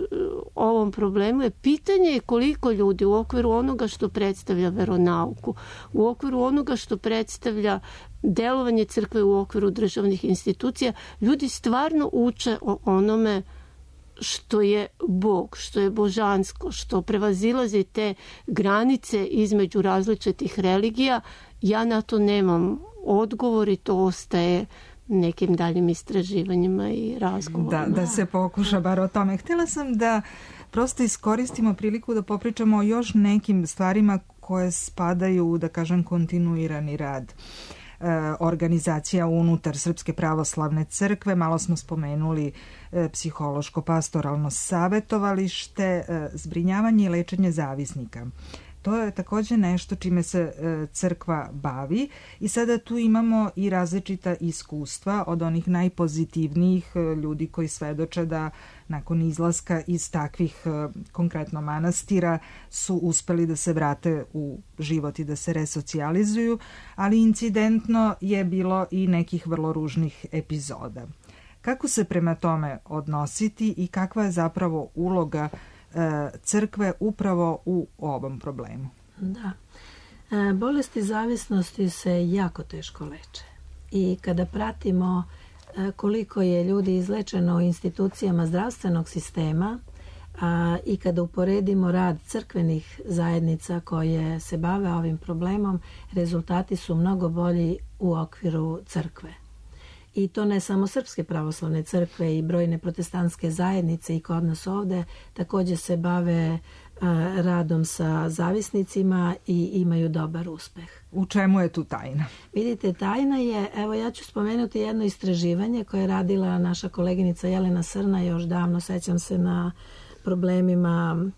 ovom problemu je pitanje koliko ljudi u okviru onoga što predstavlja veronauku, u okviru onoga što predstavlja delovanje crkve u okviru državnih institucija, ljudi stvarno uče o onome što je Bog, što je božansko, što prevazilazi te granice između različitih religija. Ja na to nemam odgovor i to ostaje nekim daljim istraživanjima i razgovorima. Da, da se pokuša bar o tome. Htjela sam da prosto iskoristimo priliku da popričamo o još nekim stvarima koje spadaju, da kažem, kontinuirani rad organizacija unutar Srpske pravoslavne crkve. Malo smo spomenuli psihološko-pastoralno savjetovalište, zbrinjavanje i lečenje zavisnika. To je također nešto čime se crkva bavi i sada tu imamo i različita iskustva od onih najpozitivnijih ljudi koji svedoče da nakon izlaska iz takvih konkretno manastira su uspeli da se vrate u život i da se resocijalizuju, ali incidentno je bilo i nekih vrlo ružnih epizoda. Kako se prema tome odnositi i kakva je zapravo uloga crkve upravo u ovom problemu? Da. Bolesti zavisnosti se jako teško leče. I kada pratimo koliko je ljudi izlečeno u institucijama zdravstvenog sistema a, i kada uporedimo rad crkvenih zajednica koje se bave ovim problemom, rezultati su mnogo bolji u okviru crkve. I to ne samo Srpske pravoslavne crkve i brojne protestantske zajednice i kod nas ovde također se bave a, radom sa zavisnicima i imaju dobar uspeh. U čemu je tu tajna? Vidite, tajna je, evo ja ću spomenuti jedno istraživanje koje je radila naša koleginica Jelena Srna još davno, sećam se na problemima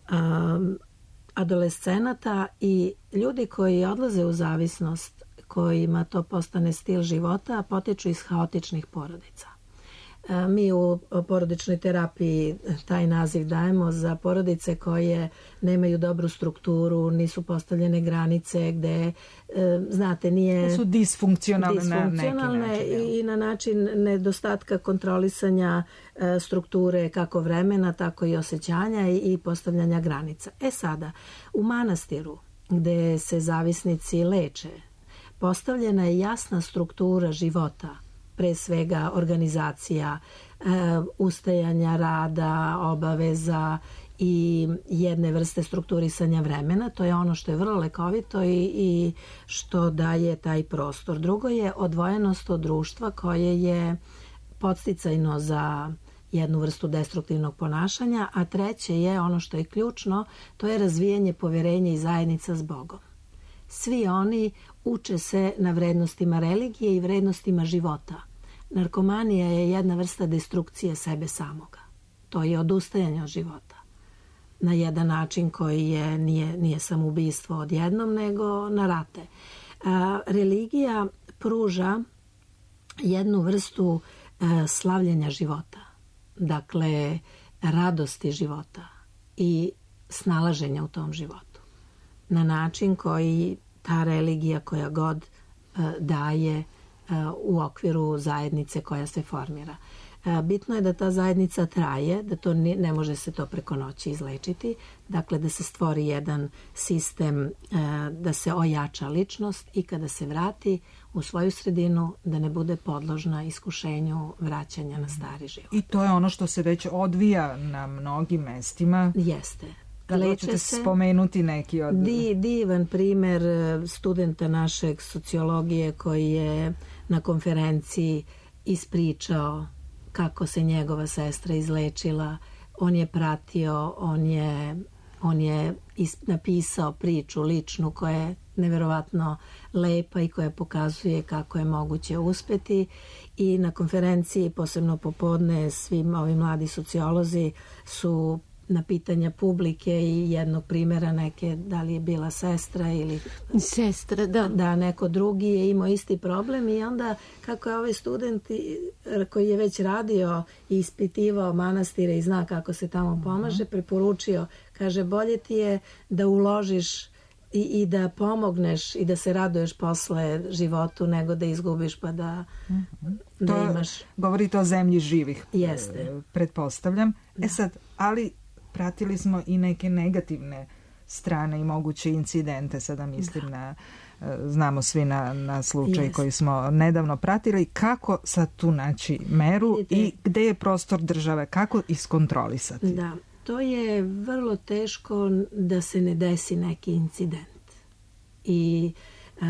a, adolescenata i ljudi koji odlaze u zavisnost, kojima to postane stil života, potiču iz haotičnih porodica. Mi u porodičnoj terapiji taj naziv dajemo za porodice koje nemaju dobru strukturu, nisu postavljene granice, gde, znate, nije... Su disfunkcionalne, disfunkcionalne na neki način. I na način nedostatka kontrolisanja strukture kako vremena, tako i osjećanja i postavljanja granica. E sada, u manastiru, gde se zavisnici leče, postavljena je jasna struktura života, pre svega organizacija, e, ustajanja rada, obaveza i jedne vrste strukturisanja vremena. To je ono što je vrlo lekovito i, i što daje taj prostor. Drugo je odvojenost od društva koje je podsticajno za jednu vrstu destruktivnog ponašanja, a treće je ono što je ključno, to je razvijanje poverenja i zajednica s Bogom. Svi oni uče se na vrednostima religije i vrednostima života. Narkomanija je jedna vrsta destrukcije sebe samoga. To je odustajanje od života. Na jedan način koji je, nije, nije samoubistvo odjednom, nego na rate. A, religija pruža jednu vrstu a, slavljenja života. Dakle, radosti života i snalaženja u tom životu. Na način koji ta religija koja god a, daje u okviru zajednice koja se formira. Bitno je da ta zajednica traje, da to ne, ne može se to preko noći izlečiti, dakle da se stvori jedan sistem, da se ojača ličnost i kada se vrati u svoju sredinu da ne bude podložna iskušenju vraćanja na stari život. I to je ono što se već odvija na mnogim mestima. Jeste. Kako ćete spomenuti neki od... Di, divan primer studenta našeg sociologije koji je na konferenciji ispričao kako se njegova sestra izlečila. On je pratio, on je, on je napisao priču ličnu koja je neverovatno lepa i koja pokazuje kako je moguće uspeti. I na konferenciji, posebno popodne, svi ovi mladi sociolozi su na pitanja publike i jednog primjera neke, da li je bila sestra ili sestra, da. Da, neko drugi je imao isti problem i onda kako je ovaj student koji je već radio i ispitivao manastire i zna kako se tamo pomaže, preporučio, kaže, bolje ti je da uložiš i, i da pomogneš i da se raduješ posle životu nego da izgubiš pa da, mm-hmm. da to imaš... Govorite o zemlji živih. Jeste. Pretpostavljam. Da. E sad, ali pratili smo i neke negativne strane i moguće incidente, sada mislim da. na, znamo svi na, na slučaj yes. koji smo nedavno pratili. Kako sad tu naći meru Vidite, i gde je prostor države? Kako iskontrolisati? Da, to je vrlo teško da se ne desi neki incident. I uh,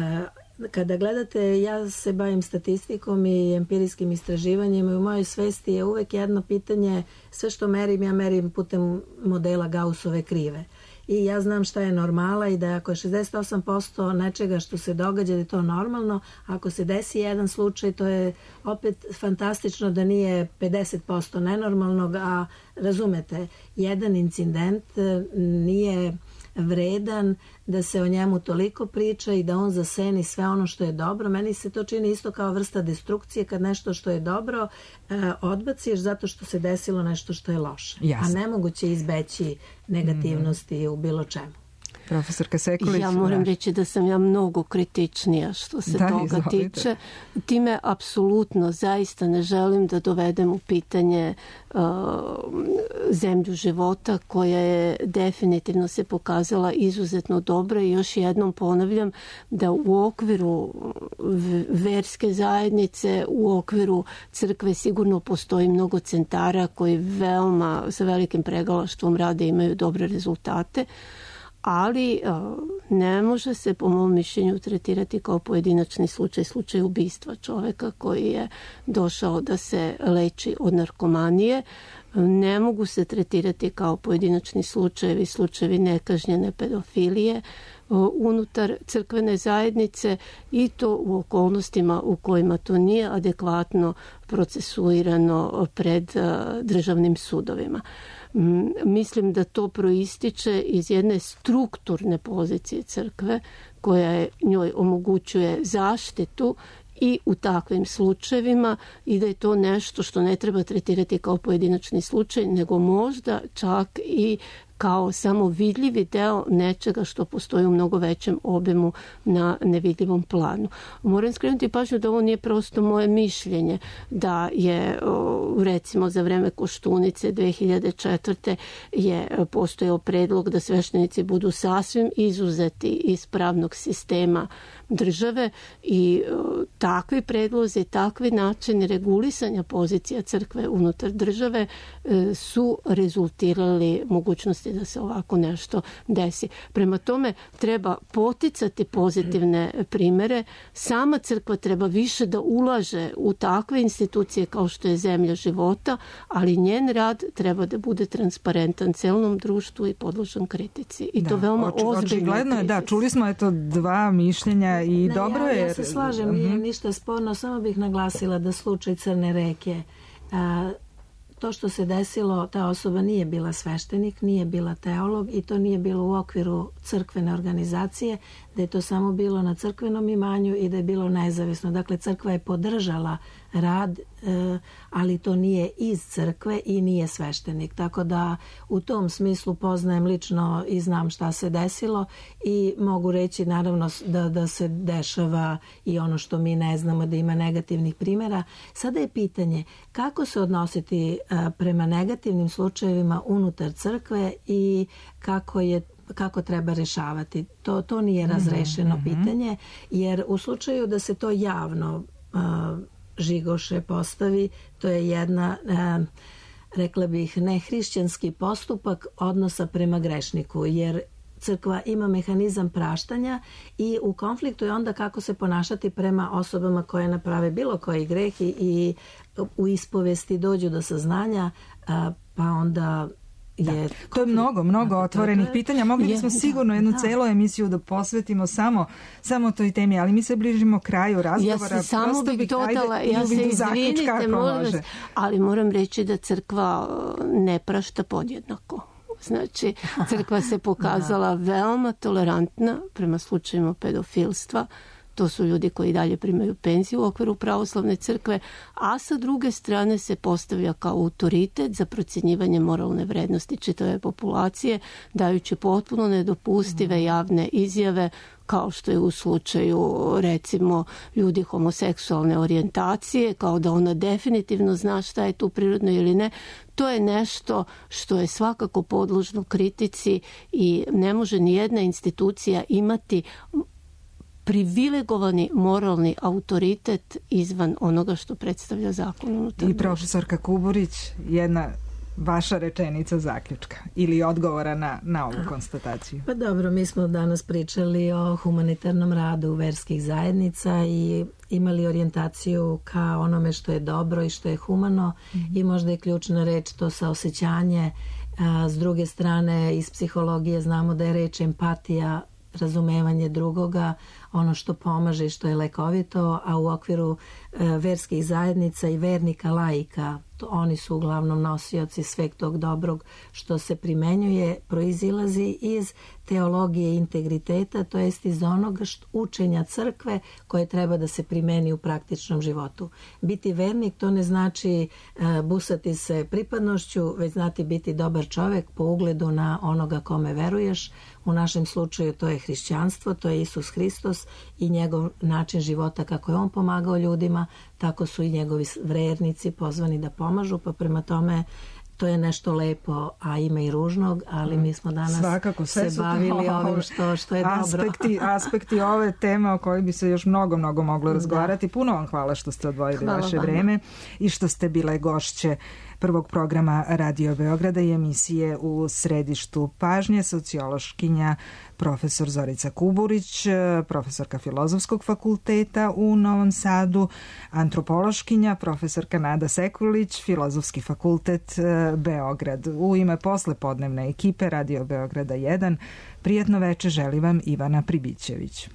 kada gledate, ja se bavim statistikom i empirijskim istraživanjima i u mojoj svesti je uvek jedno pitanje, sve što merim, ja merim putem modela Gaussove krive. I ja znam šta je normala i da ako je šezdeset osam posto nečega što se događa da je to normalno, ako se desi jedan slučaj, to je opet fantastično da nije pedeset posto nenormalnog, a razumete, jedan incident nije vredan da se o njemu toliko priča i da on zaseni sve ono što je dobro. Meni se to čini isto kao vrsta destrukcije kad nešto što je dobro eh, odbaciš zato što se desilo nešto što je loše. Jasne. A nemoguće izbeći negativnosti mm-hmm. u bilo čemu. Profesorka Sekulić. Ja moram reći da sam ja mnogo kritičnija što se da, toga izvolite. tiče. Time apsolutno zaista ne želim da dovedem u pitanje uh, zemlju života koja je definitivno se pokazala izuzetno dobra i još jednom ponavljam da u okviru verske zajednice, u okviru crkve sigurno postoji mnogo centara koji veoma sa velikim pregalaštvom rade i imaju dobre rezultate. Ali ne može se po mom mišljenju tretirati kao pojedinačni slučaj, slučaj ubistva čoveka koji je došao da se leči od narkomanije. ne mogu se tretirati kao pojedinačni slučajevi, slučajevi nekažnjene pedofilije unutar crkvene zajednice i to u okolnostima u kojima to nije adekvatno procesuirano pred državnim sudovima. Mislim da to proističe iz jedne strukturne pozicije crkve koja je, njoj omogućuje zaštitu i u takvim slučajevima i da je to nešto što ne treba tretirati kao pojedinačni slučaj, nego možda čak i kao samo vidljivi deo nečega što postoji u mnogo većem obimu na nevidljivom planu. Moram skrenuti pažnju da ovo nije prosto moje mišljenje, da je recimo za vreme Koštunice dve hiljade četvrte je postojao predlog da sveštenici budu sasvim izuzeti iz pravnog sistema države i takvi predlozi, takvi načini regulisanja pozicija crkve unutar države su rezultirali mogućnosti da se ovako nešto desi. Prema tome treba poticati pozitivne primere. Sama crkva treba više da ulaže u takve institucije kao što je Zemlja života, ali njen rad treba da bude transparentan celom društvu i podložan kritici. I da, to veoma oči, ozbiljno. Očigledno je, da, čuli smo eto dva mišljenja i ne, dobro ja, je. Ja se slažem, nije ništa sporno, samo bih naglasila da slučaj Crne reke, a, to što se desilo, ta osoba nije bila sveštenik, nije bila teolog i to nije bilo u okviru crkvene organizacije, da je to samo bilo na crkvenom imanju i da je bilo nezavisno. Dakle, crkva je podržala rad, ali to nije iz crkve i nije sveštenik. Tako da u tom smislu poznajem lično i znam šta se desilo i mogu reći naravno da, da se dešava i ono što mi ne znamo, da ima negativnih primjera. Sada je pitanje kako se odnositi prema negativnim slučajevima unutar crkve i kako je kako treba rešavati. To, to nije razrešeno mm-hmm. pitanje, jer u slučaju da se to javno uh, žigoše postavi, to je jedna, uh, rekla bih, nehrišćanski postupak odnosa prema grešniku, jer crkva ima mehanizam praštanja i u konfliktu je onda kako se ponašati prema osobama koje naprave bilo koji greh i, i u ispovesti dođu do saznanja, uh, pa onda Da. To je mnogo, mnogo otvorenih pitanja. Mogli bismo sigurno jednu celu emisiju da posvetimo samo, samo toj temi, ali mi se bližimo kraju razgovora. Ja se samo bih dodala, ja se izvinite, molim vas, ali moram reći da crkva ne prašta podjednako. Znači, crkva se pokazala veoma tolerantna prema slučajima pedofilstva. To su ljudi koji dalje primaju penziju u okviru pravoslavne crkve, a sa druge strane se postavlja kao autoritet za procjenjivanje moralne vrednosti čitave populacije, dajući potpuno nedopustive javne izjave, kao što je u slučaju recimo ljudi homoseksualne orijentacije, kao da ona definitivno zna šta je tu prirodno ili ne. To je nešto što je svakako podložno kritici i ne može ni jedna institucija imati privilegovani moralni autoritet izvan onoga što predstavlja zakon. I profesorka Kuburić, jedna vaša rečenica zaključka ili odgovora na, na ovu konstataciju. Pa dobro, mi smo danas pričali o humanitarnom radu verskih zajednica i imali orijentaciju ka onome što je dobro i što je humano mm-hmm. i možda je ključna reč to saosećanje. A, s druge strane, iz psihologije znamo da je reč empatija, razumevanje drugoga, ono što pomaže i što je lekovito, a u okviru e, verskih zajednica i vernika laika, to, oni su uglavnom nosioci sveg tog dobrog što se primenjuje, proizilazi iz teologije integriteta, to jest iz onoga što, učenja crkve koje treba da se primeni u praktičnom životu. Biti vernik to ne znači e, busati se pripadnošću, već znati biti dobar čovek po ugledu na onoga kome veruješ. U našem slučaju to je hrišćanstvo, to je Isus Hristos i njegov način života kako je on pomagao ljudima, tako su i njegovi vernici pozvani da pomažu, pa prema tome to je nešto lepo, a ima i ružnog, ali mi smo danas svakako, se bavili to, ovim što, što je aspekti, dobro. aspekti ove teme o kojoj bi se još mnogo, mnogo moglo razgovarati. Da. Puno vam hvala što ste odvojili hvala vaše vam. vreme i što ste bile gošće prvog programa Radio Beograda i emisije U središtu pažnje, sociološkinja profesor Zorica Kuburić, profesorka Filozofskog fakulteta u Novom Sadu, antropološkinja profesorka Nada Sekulić, Filozofski fakultet Beograd. U ime poslepodnevne ekipe Radio Beograda jedan, prijatno veče želi vam Ivana Pribićević.